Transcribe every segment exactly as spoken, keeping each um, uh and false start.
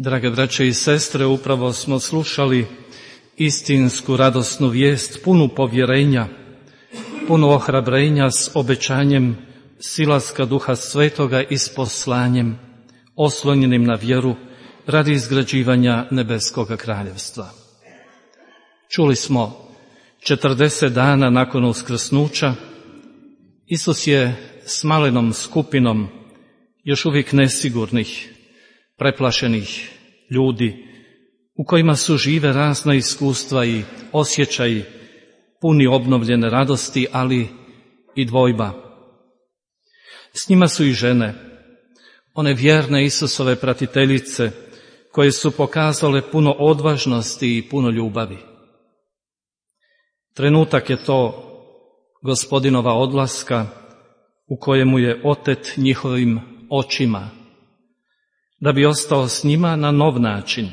Drage braće i sestre, upravo smo slušali istinsku radosnu vijest, punu povjerenja, punu ohrabrenja s obećanjem silaska Duha Svetoga i s poslanjem, oslonjenim na vjeru radi izgrađivanja nebeskoga kraljevstva. Čuli smo, četrdeset dana nakon uskrsnuća, Isus je s malenom skupinom još uvijek nesigurnih, preplašenih ljudi, u kojima su žive razna iskustva i osjećaji puni obnovljene radosti, ali i dvojba. S njima su i žene, one vjerne Isusove pratiteljice, koje su pokazale puno odvažnosti i puno ljubavi. Trenutak je to Gospodinova odlaska u kojemu je otet njihovim očima, da bi ostao s njima na nov način,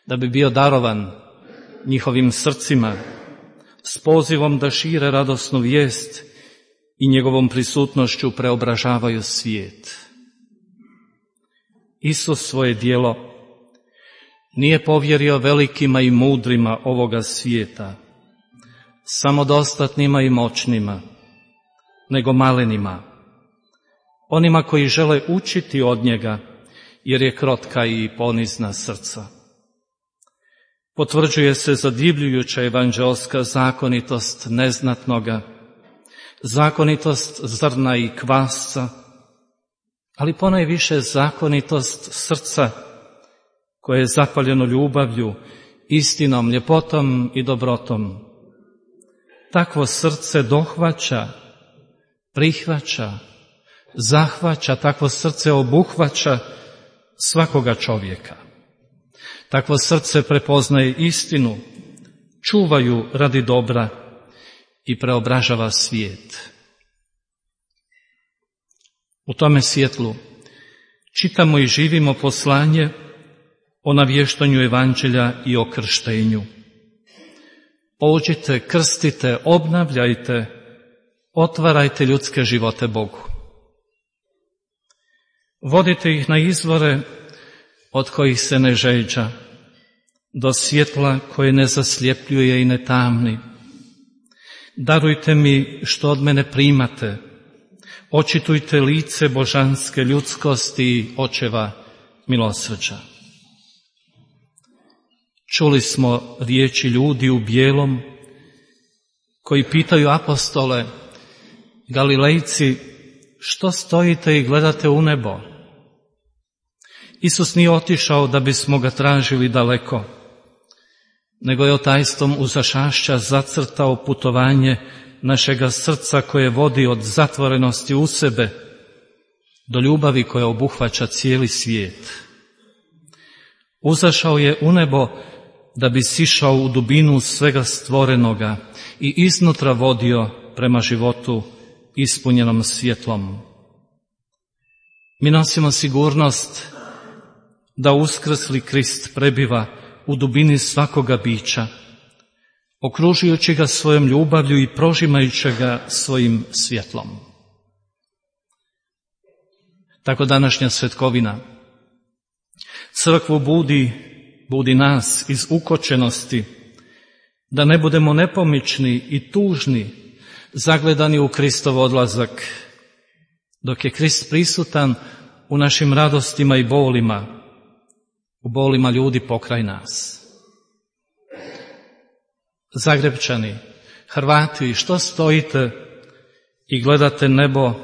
da bi bio darovan njihovim srcima s pozivom da šire radosnu vijest i njegovom prisutnošću preobražavaju svijet. Isus svoje djelo nije povjerio velikima i mudrima ovoga svijeta, samodostatnima i moćnima, nego malenima, onima koji žele učiti od njega, jer je krotka i ponizna srca. Potvrđuje se zadivljujuća evanđelska zakonitost neznatnoga, zakonitost zrna i kvasca, ali ponajviše zakonitost srca koje je zapaljeno ljubavlju, istinom, ljepotom i dobrotom. Takvo srce dohvaća, prihvaća, zahvaća, takvo srce obuhvaća svakoga čovjeka. Takvo srce prepoznaje istinu, čuvaju radi dobra i preobražava svijet. U tome svjetlu čitamo i živimo poslanje o navještanju evanđelja i o krštenju. Pođite, krstite, obnavljajte, otvarajte ljudske živote Bogu. Vodite ih na izvore od kojih se ne žeđa, do svjetla koje ne zasljepljuje i ne tamni. Darujte mi što od mene primate, očitujte lice božanske ljudskosti i očeva milosrđa. Čuli smo riječi ljudi u bijelom koji pitaju apostole, Galilejci, što stojite i gledate u nebo? Isus nije otišao da bismo ga tražili daleko, nego je otajstvom uzašašća zacrtao putovanje našega srca koje vodi od zatvorenosti u sebe do ljubavi koja obuhvaća cijeli svijet. Uzašao je u nebo da bi sišao u dubinu svega stvorenoga i iznutra vodio prema životu ispunjenom svjetlom. Mi nosimo sigurnost da uskrsli Krist prebiva u dubini svakoga bića, okružujući ga svojom ljubavlju i prožimajući ga svojim svjetlom. Tako današnja svetkovina crkvu budi, budi nas iz ukočenosti, da ne budemo nepomični i tužni, zagledani u Kristov odlazak, dok je Krist prisutan u našim radostima i bolima, u bolima ljudi pokraj nas. Zagrebčani, Hrvati, što stojite i gledate nebo,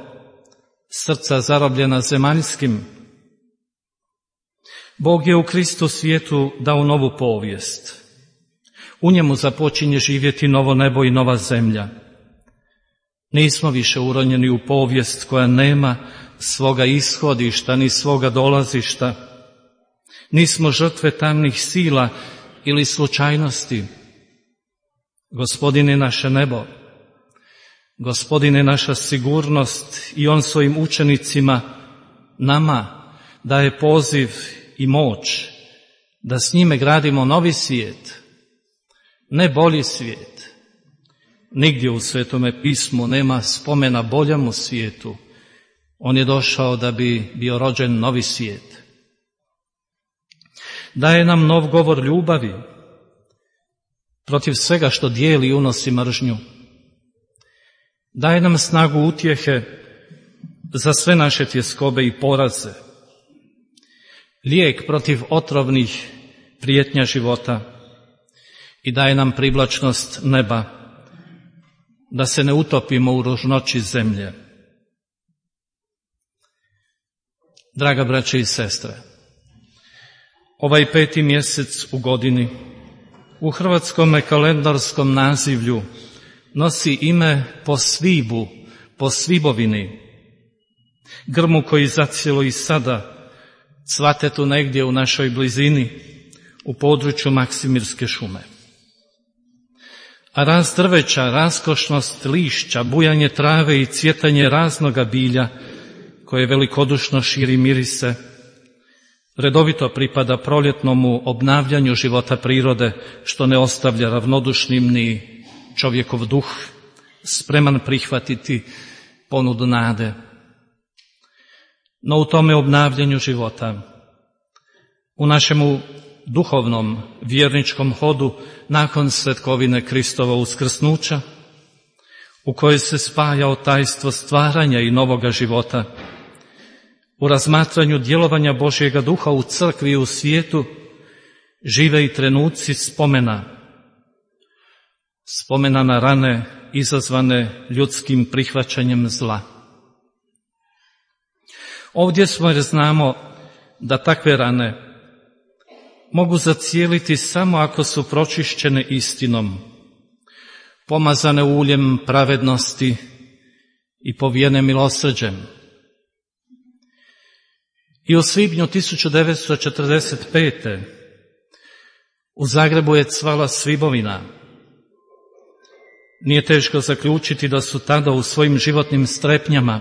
srca zarobljena zemaljskim? Bog je u Kristu svijetu dao novu povijest. U njemu započinje živjeti novo nebo i nova zemlja. Nismo više uronjeni u povijest koja nema svoga ishodišta ni svoga dolazišta. Nismo žrtve tamnih sila ili slučajnosti. Gospodin je naše nebo. Gospodin je naša sigurnost i on svojim učenicima, nama, daje poziv i moć da s njime gradimo novi svijet, ne bolji svijet. Nigdje u Svetome pismu nema spomena boljemu svijetu. On je došao da bi bio rođen novi svijet. Daje nam nov govor ljubavi protiv svega što dijeli i unosi mržnju. Daje nam snagu utjehe za sve naše tjeskobe i poraze. Lijek protiv otrovnih prijetnja života i daje nam privlačnost neba da se ne utopimo u ružnoći zemlje. Draga braće i sestre, ovaj peti mjesec u godini u hrvatskom kalendarskom nazivlju nosi ime po svibu, po svibovini, grmu koji zacijelo i sada cvate tu negdje u našoj blizini, u području Maksimirske šume. A rast drveća, raskošnost lišća, bujanje trave i cvjetanje raznoga bilja, koje velikodušno širi mirise, redovito pripada proljetnomu obnavljanju života prirode, što ne ostavlja ravnodušnim ni čovjekov duh, spreman prihvatiti ponudu nade. No u tome obnavljanju života, u našemu duhovnom vjerničkom hodu nakon svetkovine Kristova uskrsnuća, u kojoj se spaja tajstvo stvaranja i novoga života, u razmatranju djelovanja Božjega duha u crkvi i u svijetu, žive i trenuci spomena, spomena na rane izazvane ljudskim prihvaćanjem zla. Ovdje smo jer znamo da takve rane mogu zacijeliti samo ako su pročišćene istinom, pomazane uljem pravednosti i povijene milosrđem. I u svibnju tisuću devetsto četrdeset pete. u Zagrebu je cvala svibovina. Nije teško zaključiti da su tada u svojim životnim strepnjama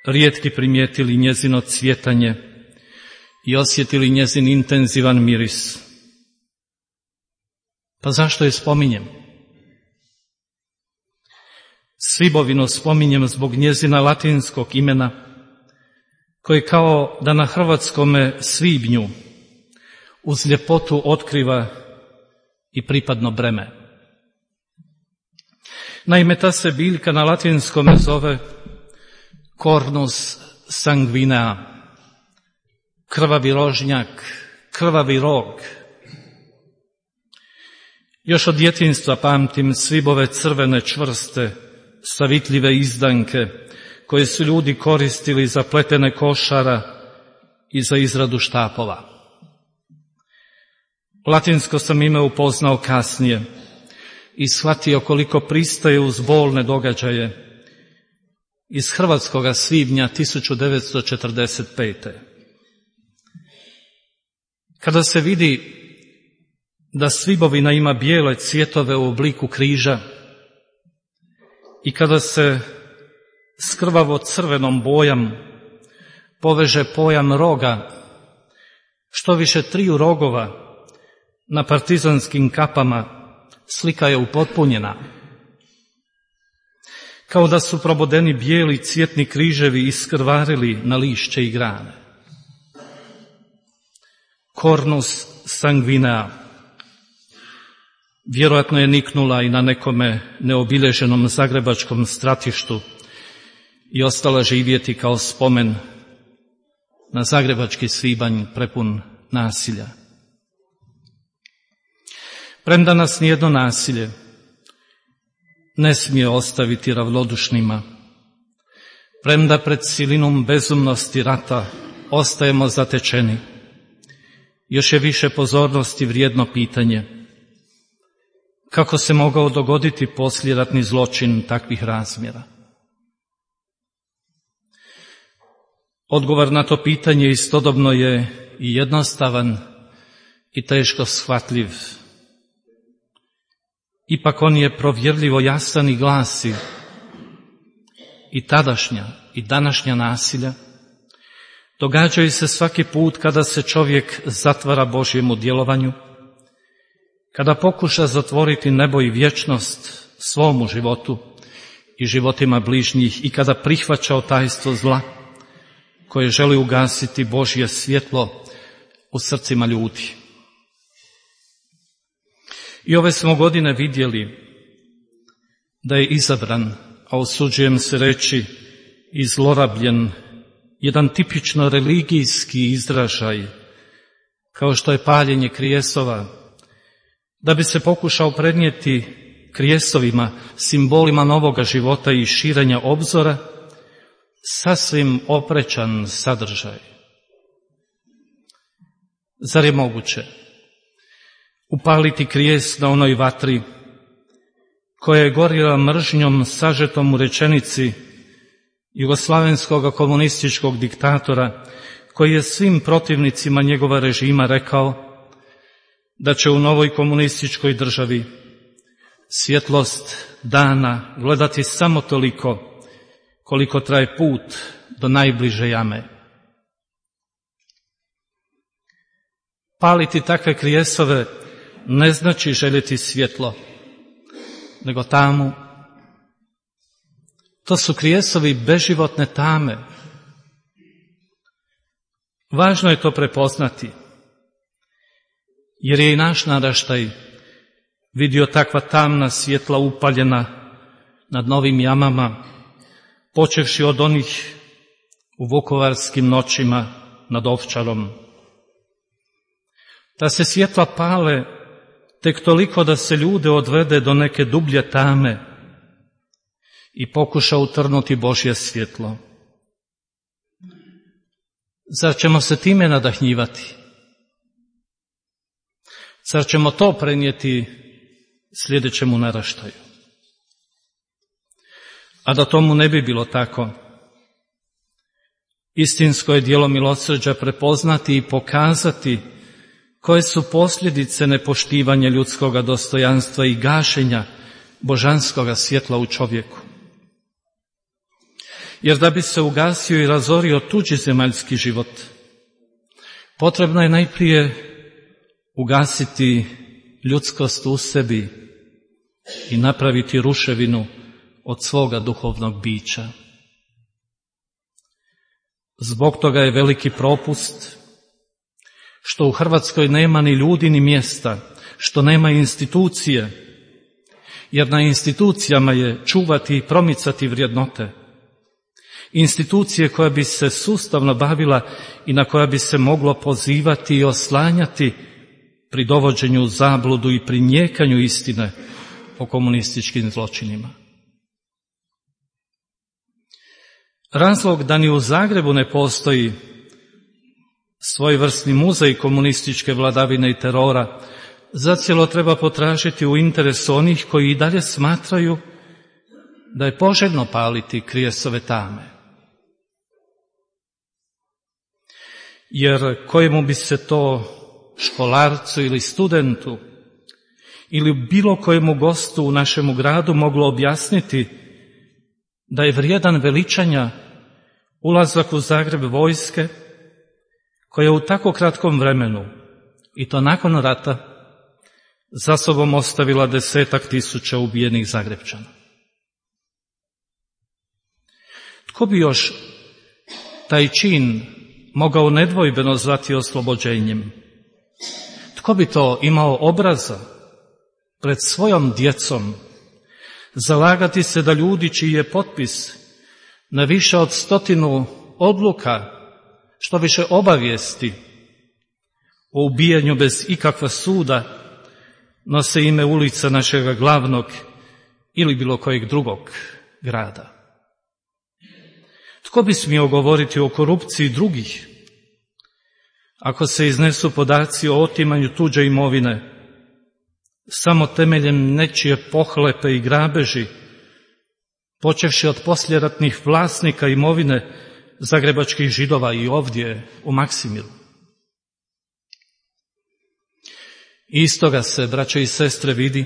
rijetki primijetili njezino cvjetanje i osjetili njezin intenzivan miris. Pa zašto je spominjem? Svibovinu spominjem zbog njezina latinskog imena, koje kao da na hrvatskome svibnju uz ljepotu otkriva i pripadno breme. Naime, ta se biljka na latinskome zove Cornus sanguinea, krvavi rožnjak, krvavi rog. Još od djetinjstva pamtim svibove crvene čvrste, savitljive izdanke, koje su ljudi koristili za pletene košara i za izradu štapova. Latinsko sam ime upoznao kasnije i shvatio koliko pristaje uz bolne događaje iz hrvatskoga svibnja tisuću devetsto četrdeset pete. Kada se vidi da svibovina ima bijele cvjetove u obliku križa i kada se s krvavo crvenom bojom poveže pojam roga, što više triju rogova na partizanskim kapama, slika je upotpunjena. Kao da su probodeni bijeli cvjetni križevi iskrvarili na lišće i grane. Cornus sanguinea. Vjerojatno je niknula i na nekome neobilježenom zagrebačkom stratištu i ostala živjeti kao spomen na zagrebački svibanj prepun nasilja. Premda nas nijedno nasilje ne smije ostaviti ravnodušnima, premda pred silinom bezumnosti rata ostajemo zatečeni, još je više pozornosti vrijedno pitanje kako se mogao dogoditi poslijeratni zločin takvih razmjera. Odgovor na to pitanje istodobno je i jednostavan i teško shvatljiv. Ipak on je provjerljivo jasan i glasi: i tadašnja i današnja nasilja događaju se svaki put kada se čovjek zatvara Božjemu djelovanju, kada pokuša zatvoriti nebo i vječnost svomu životu i životima bližnjih i kada prihvaća tajstvo zla koje želi ugasiti Božje svjetlo u srcima ljudi. I ove smo godine vidjeli da je izabran, a usuđujem se reći i zlorabljen, jedan tipično religijski izražaj, kao što je paljenje krijesova, da bi se pokušao prenijeti krijesovima, simbolima novoga života i širenja obzora, sasvim oprečan sadržaj. Zar je moguće upaliti krijes na onoj vatri koja je gorila mržnjom sažetom u rečenici jugoslavenskog komunističkog diktatora, koji je svim protivnicima njegova režima rekao da će u novoj komunističkoj državi svjetlost dana gledati samo toliko koliko traje put do najbliže jame. Paliti takve krijesove ne znači željeti svjetlo, nego tamu. To su krijesovi beživotne tame. Važno je to prepoznati, jer je i naš naraštaj vidio takva tamna svjetla upaljena nad novim jamama, počevši od onih u vukovarskim noćima nad Ovčarom. Ta se svjetla pale tek toliko da se ljude odvede do neke dublje tame i pokuša utrnuti Božje svjetlo. Zar ćemo se time nadahnjivati? Zar ćemo to prenijeti sljedećemu naraštaju? A da tomu ne bi bilo tako, istinsko je djelo milosrđa prepoznati i pokazati koje su posljedice nepoštivanja ljudskoga dostojanstva i gašenja božanskoga svjetla u čovjeku. Jer da bi se ugasio i razorio tuđi zemaljski život, potrebno je najprije ugasiti ljudskost u sebi i napraviti ruševinu od svoga duhovnog bića. Zbog toga je veliki propust što u Hrvatskoj nema ni ljudi ni mjesta, što nema institucije, jer na institucijama je čuvati i promicati vrijednote. Institucije koja bi se sustavno bavila i na koja bi se moglo pozivati i oslanjati pri dovođenju u zabludu i pri nijekanju istine o komunističkim zločinima. Razlog da ni u Zagrebu ne postoji svojevrsni muzej komunističke vladavine i terora zacijelo treba potražiti u interesu onih koji i dalje smatraju da je poželjno paliti krijesove tame. Jer kojemu bi se to školarcu ili studentu ili bilo kojemu gostu u našemu gradu moglo objasniti da je vrijedan veličanja ulazak u Zagreb vojske koja u tako kratkom vremenu, i to nakon rata, za sobom ostavila desetak tisuća ubijenih Zagrepčana. Tko bi još taj čin mogao nedvojbeno zvati oslobođenjem? Tko bi to imao obraza pred svojom djecom zalagati se da ljudi čiji je potpis na više od stotinu odluka, što više obavijesti o ubijanju bez ikakva suda, nose ime ulica našega glavnog ili bilo kojeg drugog grada? Tko bi smio govoriti o korupciji drugih, ako se iznesu podaci o otimanju tuđe imovine, samo temeljem nečije pohlepe i grabeži, počevši od posljeratnih vlasnika imovine zagrebačkih Židova i ovdje u Maksimiru? Iz toga se, braćo i sestre, vidi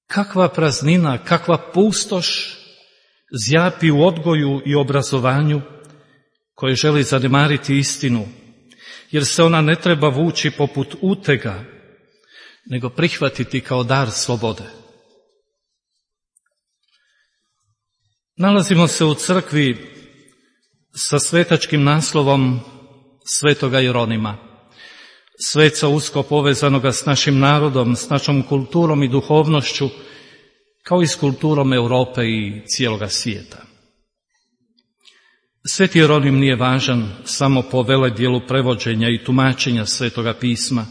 kakva praznina, kakva pustoš zjapi u odgoju i obrazovanju koje želi zanemariti istinu, jer se ona ne treba vući poput utega, nego prihvatiti kao dar slobode. Nalazimo se u crkvi sa svetačkim naslovom Svetoga Jeronima, sveca usko povezanoga s našim narodom, s našom kulturom i duhovnošću, kao i s kulturom Europe i cijeloga svijeta. Sveti Jeronim nije važan samo po veledjelu prevođenja i tumačenja Svetoga pisma,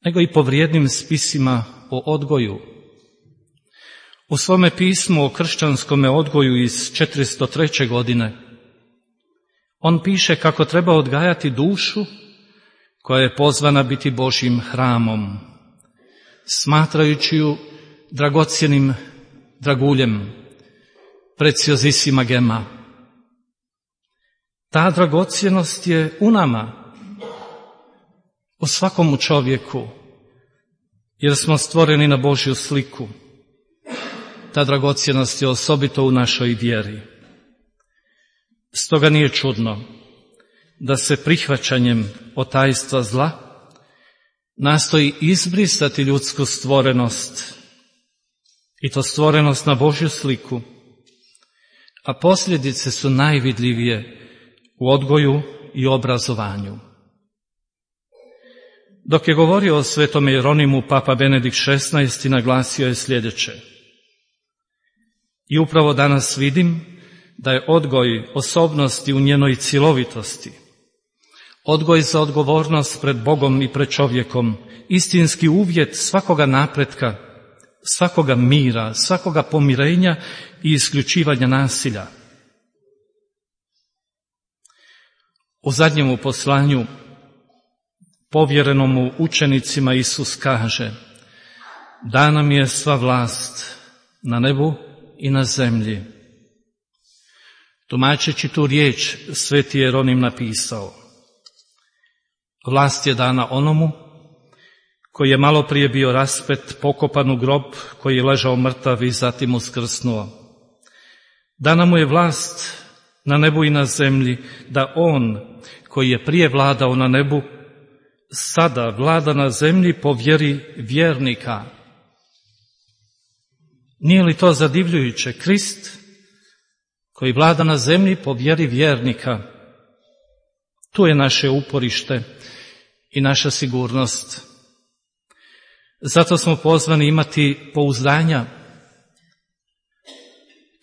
nego i po vrijednim spisima o odgoju. U svome pismu o kršćanskome odgoju iz četiristo treće godine on piše kako treba odgajati dušu koja je pozvana biti Božjim hramom, smatrajući ju dragocjenim draguljem, preciozissima gema. Ta dragocjenost je u nama, u svakom čovjeku, jer smo stvoreni na Božju sliku. Ta dragocjenost je osobito u našoj vjeri. Stoga nije čudno da se prihvaćanjem otajstva zla nastoji izbrisati ljudsku stvorenost, i to stvorenost na Božju sliku, a posljedice su najvidljivije u odgoju i obrazovanju. Dok je govorio o svetome Jeronimu, Papa Benedikt šesnaesti naglasio je sljedeće: i upravo danas vidim da je odgoj osobnosti u njenoj cjelovitosti, odgoj za odgovornost pred Bogom i pred čovjekom, istinski uvjet svakoga napretka, svakoga mira, svakoga pomirenja i isključivanja nasilja. U zadnjemu poslanju povjerenomu učenicima Isus kaže: dana mi je sva vlast na nebu i na zemlji. Tumačeći tu riječ, sveti Jeronim napisao: vlast je dana onomu koji je malo prije bio raspet, pokopan u grob, koji je ležao mrtav i zatim uskrsnuo. Dana mu je vlast na nebu i na zemlji, da on, koji je prije vladao na nebu, sada vlada na zemlji po vjeri vjernika. Nije li to zadivljujuće? Krist, koji vlada na zemlji po vjeri vjernika. Tu je naše uporište i naša sigurnost. Zato smo pozvani imati pouzdanja.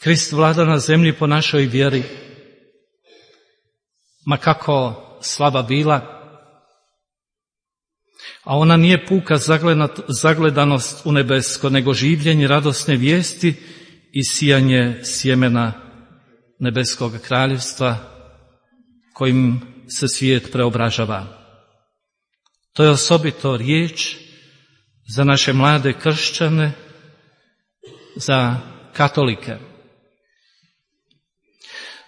Krist vlada na zemlji po našoj vjeri, ma kako slaba bila, a ona nije puka zagledanost u nebesko, nego življenje radosne vijesti i sijanje sjemena nebeskog kraljevstva kojim se svijet preobražava. To je osobito riječ za naše mlade kršćane, za katolike.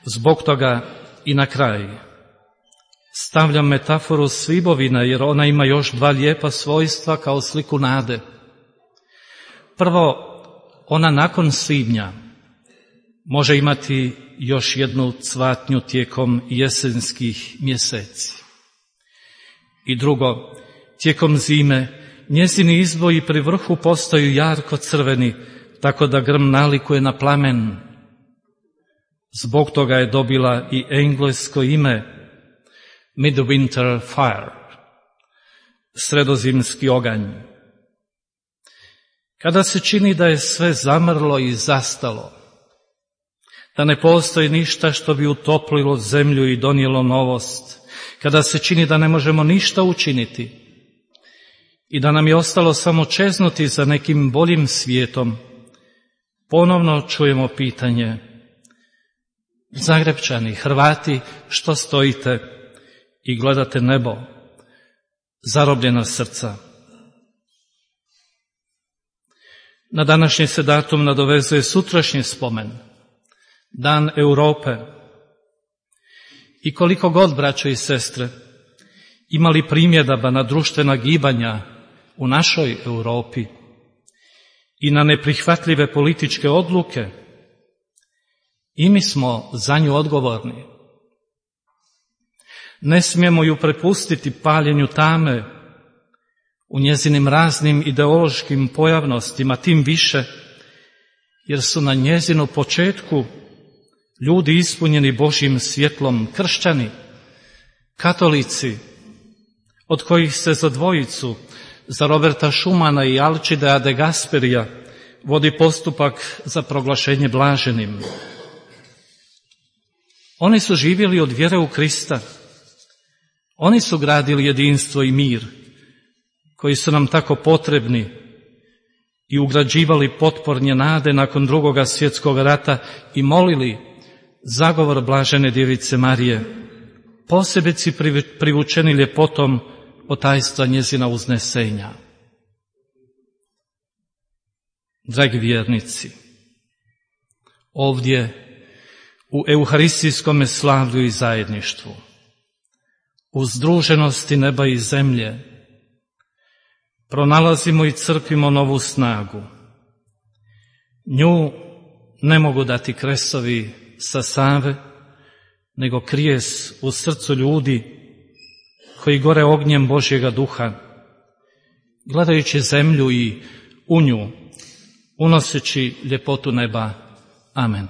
Zbog toga i na kraj stavljam metaforu svibovina, jer ona ima još dva lijepa svojstva kao sliku nade. Prvo, ona nakon svibnja može imati još jednu cvatnju tijekom jesenskih mjeseci. I drugo, tijekom zime njezini izboji pri vrhu postaju jarko crveni, tako da grm nalikuje na plamen. Zbog toga je dobila i englesko ime Midwinter Fire, sredozimski oganj. Kada se čini da je sve zamrlo i zastalo, da ne postoji ništa što bi utoplilo zemlju i donijelo novost, kada se čini da ne možemo ništa učiniti i da nam je ostalo samo čeznuti za nekim boljim svijetom, ponovno čujemo pitanje: Zagrepčani, Hrvati, što stojite i gledate nebo, zarobljena srca? Na današnji se datum nadovezuje sutrašnji spomen, Dan Europe. I koliko god, braćo i sestre, imali primjedaba na društvena gibanja u našoj Europi i na neprihvatljive političke odluke, i mi smo za nju odgovorni. Ne smijemo ju prepustiti paljenju tame u njezinim raznim ideološkim pojavnostima, tim više jer su na njezinu početku ljudi ispunjeni Božjim svjetlom, kršćani, katolici, od kojih se za dvojicu, za Roberta Schumana i Alcidea de Gasperija, vodi postupak za proglašenje blaženim. Oni su živjeli od vjere u Krista. Oni su gradili jedinstvo i mir, koji su nam tako potrebni, i ugrađivali potpornje nade nakon drugoga svjetskog rata i molili zagovor blažene djevice Marije, posebice privučeni ljepotom otajstva njezina uznesenja. Dragi vjernici, ovdje u euharistijskom slavlju i zajedništvu, u združenosti neba i zemlje, pronalazimo i crpimo novu snagu. Nju ne mogu dati kresovi sa Save, nego krijes u srcu ljudi koji gore ognjem Božjega duha, gledajući zemlju i u nju, unoseći ljepotu neba. Amen.